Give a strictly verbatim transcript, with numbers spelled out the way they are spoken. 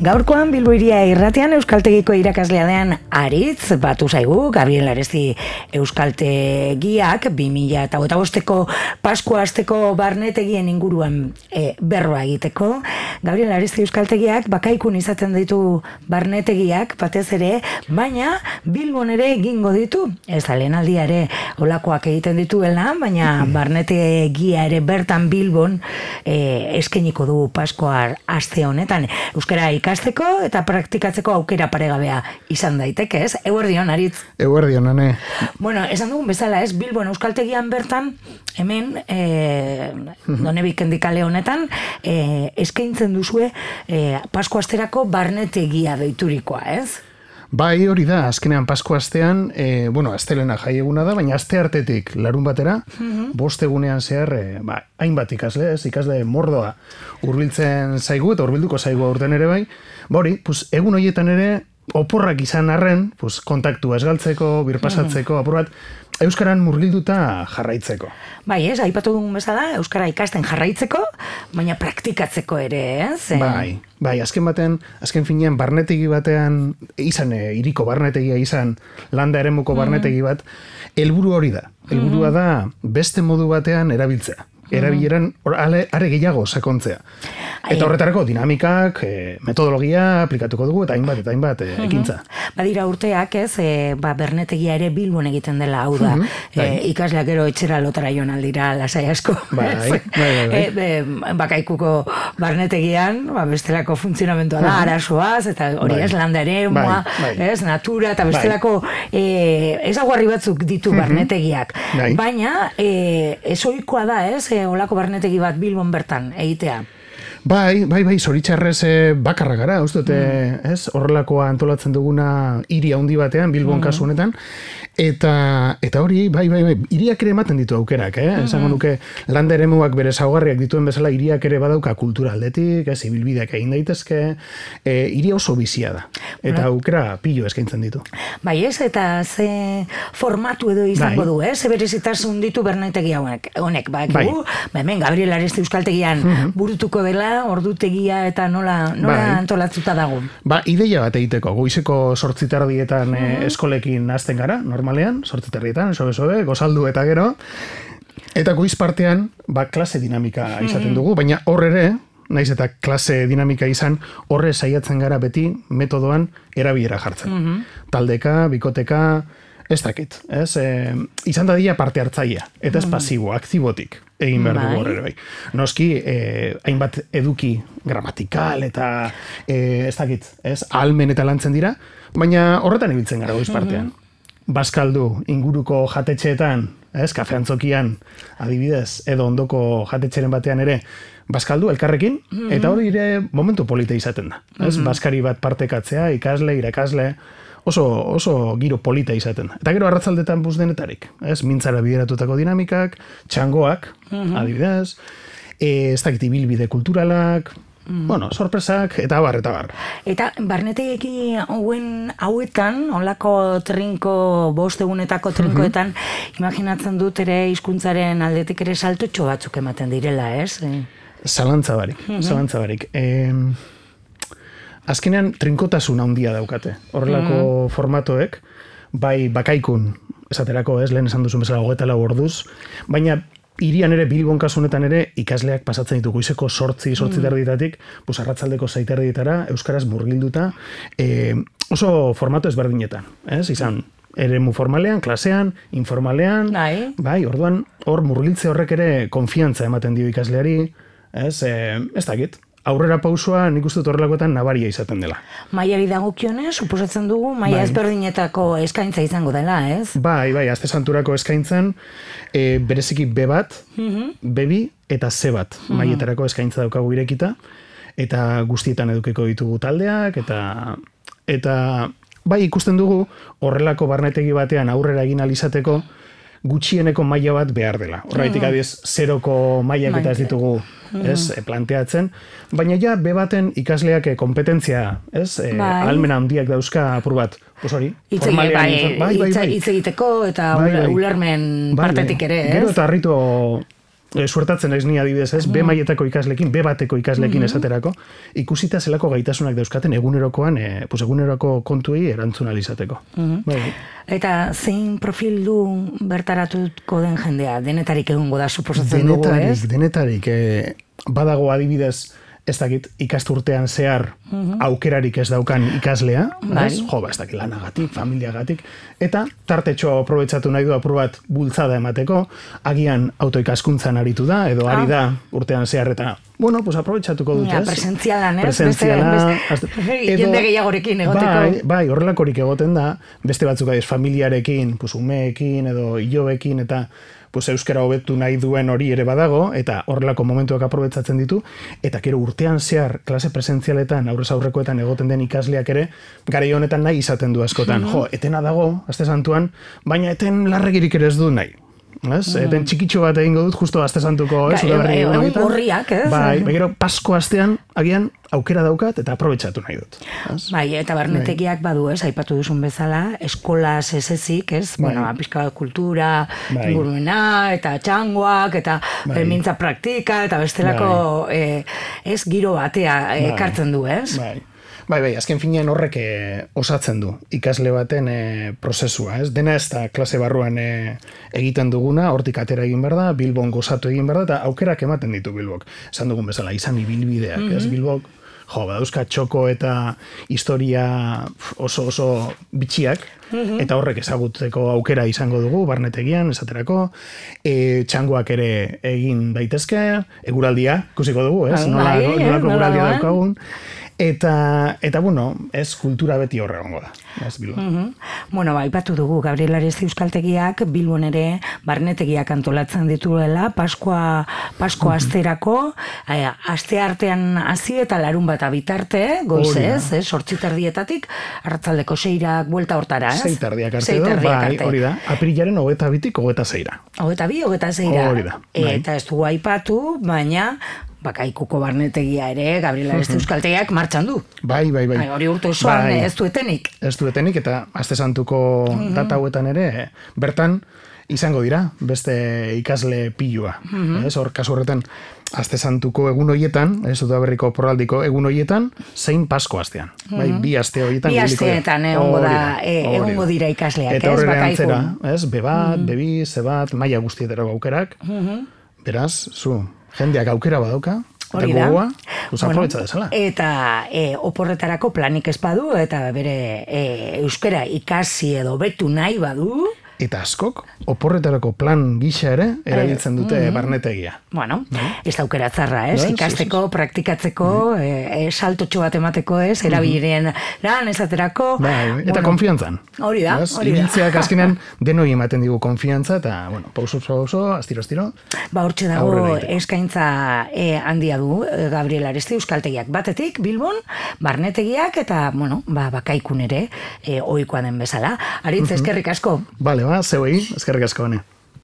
Gaurkoan Bilbo Hiria irratian euskaltegiko irakaslea den Aritz batu zaigu, Gabriel Aresti euskaltegiak bi mila hogeita bosteko Paskua asteko barnetegien inguruan e, berroa egiteko. Gabriel Aresti euskaltegiak bakaikun izaten ditu barnetegiak batez ere, baina Bilbon ere egingo ditu. Ez da lehenaldia ere olakoak egiten dituela, baina barnetegia ere bertan Bilbon e, eskeniko du Paskua aste honetan. Euskara ikasteko eta praktikatzeko aukera paregabea izan daiteke, ez? Eguerdion, Aritz. Eguerdion, ane. Bueno, esan dugun bezala, ez? Bilbon euskaltegian bertan, hemen, e, Donebik endikale honetan, e, eskaintzen duzue e, Paskua asterako barnetegia deiturikoa, ez? Bai, hori da, azkenean Paskua astean, e, bueno, astelena jai eguna da, baina aste artetik larun batera, mm-hmm. bost egunean zehar, e, ba, hainbat ikasle, ez, ikasle mordoa hurbiltzen zaigu, eta hurbilduko zaigu aurten ere bai, ba hori, pues, egun horietan ere, oporrak izan arren, pues, kontaktua esgaltzeko, birpasatzeko, mm-hmm. apur bat, euskaran murgilduta jarraitzeko. Bai, ez, aipatu dugun bezala, euskara ikasten jarraitzeko, baina praktikatzeko ere, ez? Bai, bai, azken batean, azken finean barnetegi batean, izan, e, iriko barnetegia izan, landa eremuko barnetegi bat, helburu hori da. Helburua da beste modu batean erabiltzea. Erabileran are gehiago sakontzea. Eta horretarako dinamikak, e, metodologia aplikatuko dugu, eta hainbat, eta hainbat, e, ekintza. Badira urteak, ez, e, ba, bernetegia ere Bilbon egiten dela, hau da, e, ikasleak gero etxera lotara joan aldira lasai asko. Bai, bai, bai. E, e, bakaikuko barnetegian, ba, bestelako funtzionamentua da, arazoaz, eta hori ez, landa ere, moa, ez, natura, eta bestelako e, ezaguarri batzuk ditu barnetegiak. Baina, e, ezoikoa da, ez, e, olako barnetegi bat Bilbon bertan egitea. Bai, bai, bai, zoritxarrez bakarra gara, uste dute, mm. ez, horrelakoa antolatzen duguna hiri handi batean, Bilbon mm. kasu honetan, eta, eta hori, bai, bai, bai, hiriak ere ematen ditu aukerak, eh? Mm. Esango nuke, landa eremuak bere zaugarriak dituen bezala, hiriak ere badauka kultura aldetik, ez, ibilbideak egin daitezke, e, hiri oso bizia da, eta aukera pilo eskaintzen ditu. Bai, ez, eta ze formatu edo izango bai. Du, ez, ze berezitasun ditu bernetegi honek, honek, ba, bai. Ba, hemen, Gabriel Aresti euskaltegian mm-hmm. burutuko dela, ordutegia eta nola, nola bai. Antolatzuta dago. Ba, ideia bat egiteko, goizeko sortzitardietan mm-hmm. eskolekin hasten gara, normalean, sortzitardietan, sobe-sobe, gozaldu eta gero, eta goiz partean, ba, klase dinamika izaten dugu, baina hor ere, naiz eta klase dinamika izan, horre saiatzen gara beti metodoan erabilera jartzen. Mm-hmm. Taldeka, bikoteka, ez dakit, ez? E, izan dadila parte hartzailea, eta ez pasibo, aktibotik egin behar dugu horre bai. Noski, e, hainbat eduki gramatikal eta e, ez dakit, ez? Almen eta lantzen dira, baina horretan ibiltzen gara goiz partean. Baskaldu, inguruko jatetxeetan, ez? Kafe antzokian, adibidez, edo ondoko jatetxeren batean ere, baskaldu elkarrekin, eta hori ere momentu polita izaten da. Ez? Baskari bat partekatzea, ikasle, irakasle, oso, oso giro polita izaten. Eta gero arratzaldetan buz denetarik. Ez? Mintzara bideratutako dinamikak, txangoak, mm-hmm. adibidez, e, ez dakit ibilbide kulturalak, mm. bueno, sorpresak, eta bar, eta bar. Eta barnetegeki hauen hauetan, onlako trinko, bost egunetako trinkoetan, mm-hmm. imaginatzen dut ere hizkuntzaren aldetik ere saltotxo batzuk ematen direla, ez? E... Zalantza barik, mm-hmm. zalantza barik. E... Azkenean trinkotasun handia daukate. Horrelako mm. formatoek, bai bakaikun, esaterako ez, lehen esan duzun bezala hogeita lau orduz, baina hirian ere, Bilbon kasunetan ere, ikasleak pasatzen ditu goizeko sortzi, sortzi mm. terditatik, pues arratzaldeko zaiterditara, euskaraz murgilduta, e, oso formato ezberdinetan, ez, izan, eremu formalean, klasean, informalean, bai, bai orduan, hor murgiltze horrek ere konfiantza ematen dio ikasleari, ez, e, ez dakit. Aurrera pausua nik uste horrelakoetan nabaria izaten dela. Maiari dagokionez, suposatzen dugu, maia bai. Ezberdinetako eskaintza izango dela, ez? Bai, bai, azte santurako eskaintzan, e, bereziki B bat, mm-hmm. B bi eta C bat, mm-hmm. maietarako eskaintza daukagu irekita, eta guztietan edukeko ditugu taldeak, eta eta bai ikusten dugu, horrelako barnetegi batean aurrera egin alizateko, gutxieneko maila bat behar dela. Horraitik adiez, zeroko mailak eta ez ditugu ez, planteatzen, baina ja, be baten ikasleak kompetentzia, ez, e, almena handiak dauzka apur bat, pues hori, formalean, bai, bai, bai, bai. Hitz egiteko eta bai, bai. Ulermen bai, partetik ere, ez? Gero eta harritu e, suertatzen ez ni adibidez, ez, B mailetako ikaslekin, B bateko ikaslekin esaterako, ikusita zelako gaitasunak dauzkaten egunerokoan, e, pues eguneroko kontuei erantzun alizateko. Bai. Eta zein profil du bertaratuko den jendea? Denetarik egongo da, suposatzen dugu, ez? Denetarik, denetarik. E, badago adibidez, ez dakit ikasturtean zehar aukerarik ez daukan ikaslea, ez? Jo, ba, ez dakit lanagatik, familiagatik, eta tartetxo aprobetsatu nahi du apur bat bultzada emateko, agian autoikaskuntzan aritu da, edo ari da urtean zehar eta, bueno, pues aprobetsatuko dut, ez? Presentzialan, ez? Presentziala, jende gehiagorekin egoteko. Bai, bai, horrelakorik egoten da, beste batzuk adiz, familiarekin, pues umeekin, edo ilobekin, eta pues euskara hobetu nahi duen hori ere badago, eta horrelako momentuak aprobetzatzen ditu, eta gero urtean zehar klase presentzialetan, aurrez aurrekoetan egoten den ikasleak ere, garai honetan nahi izaten du askotan. Jo, etena dago, aste santuan, baina eten larregirik ere ez du nahi. Ez? Eten txikitxo bat egingo dut, justo aste santuko, ez? Egun gorriak, ez? Bai, gero Pasko astean, agian, aukera daukat eta aprobetsatu nahi dut. Bai, eta barnetegiak badu, ez? Aipatu duzun bezala, eskolaz ez ezik, ez? Bueno, pixka kultura, inguruena, eta txangoak, eta mintza praktika, eta bestelako, ez, giro batea ekartzen du, ez? Bai. Bai, bai, azken finean horrek e, osatzen du ikasle baten e, prozesua, ez? Dena ez da klase barruan e, egiten duguna, hortik atera egin behar da, Bilbon gozatu egin behar da, eta aukerak ematen ditu Bilbok. Esan dugun bezala, izan ibilbideak, mm -hmm. ez? Bilbok, jo, badauzka txoko eta historia oso oso bitxiak, eta horrek ezagutzeko aukera izango dugu, barnetegian, esaterako, e, txangoak ere egin daitezke, eguraldia, ikusiko dugu, ez? Nola, nolako eguraldia daukagun. Eta, eta bueno, ez kultura beti horre gongo da. Ez Bilbon. Uh -huh. Bueno, ba, ipatu dugu, Gabriel Aresti euskaltegiak Bilbon ere barnetegiak antolatzen dituela, Paskoa, Paskoa asterako, eh, aste artean hasi eta larun bat abitarte, goizez, eh, sortziterdietatik, arratzaldeko seirak buelta hortara, ez? Seitardiak arte edo, bai, hori da. Aprilaren hogeta bitik hogeta zeira. Hogeta bi, hogeta zeira. Hori da. Bai. Eta ez dugu aipatu, baina Bakaikuko barnetegia ere, Gabriel Aresti euskaltegiak martxan du. Bai, bai, bai. Hori urte osoan bai. ez duetenik. Ez duetenik, eta aste santuko mm-hmm. data hauetan ere, bertan izango dira, beste ikasle pilua. Mm-hmm. Ez, hor, kasu horretan, aste santuko egun hoietan, ez dut berriko porraldiko egun hoietan, zein Pasko astean. Mm-hmm. Bai, bi aste hoietan. Bi asteetan egongo da, egongo dira ikasleak, eta horre antzera, ez, be bat, mm-hmm. be bi, ze bat, maila guztietarako aukerak. Mm-hmm. Beraz, zu, jendeak aukera badauka, eta gogoa, usaprobetza desala. Eta e, oporretarako planik ez badu, eta bere e, euskara ikasi edo betu nahi badu. Eta askok, oporretarako plan gisa ere, erabiltzen dute mm-hmm. barnetegia. Bueno, ez da aukera zarra, ez? Ikasteko, praktikatzeko, mm-hmm. e, saltotxo bat emateko, ez? Erabilen lan, esaterako. Bai, eta bueno, konfiantzan. Hori da, hori da. Ibiltzeak azkenean denoi ematen digu konfiantza, eta, bueno, pauso, pauso, astiro, astiro. Ba, hortxe dago eskaintza e, handia du, Gabriel Aresti euskaltegiak batetik, Bilbon, barnetegiak, eta, bueno, ba, bakaikun ere, e, ohikoa den bezala. Aritz, eskerrik asko. Bale, ba, zeuei, eskerrik asko hone.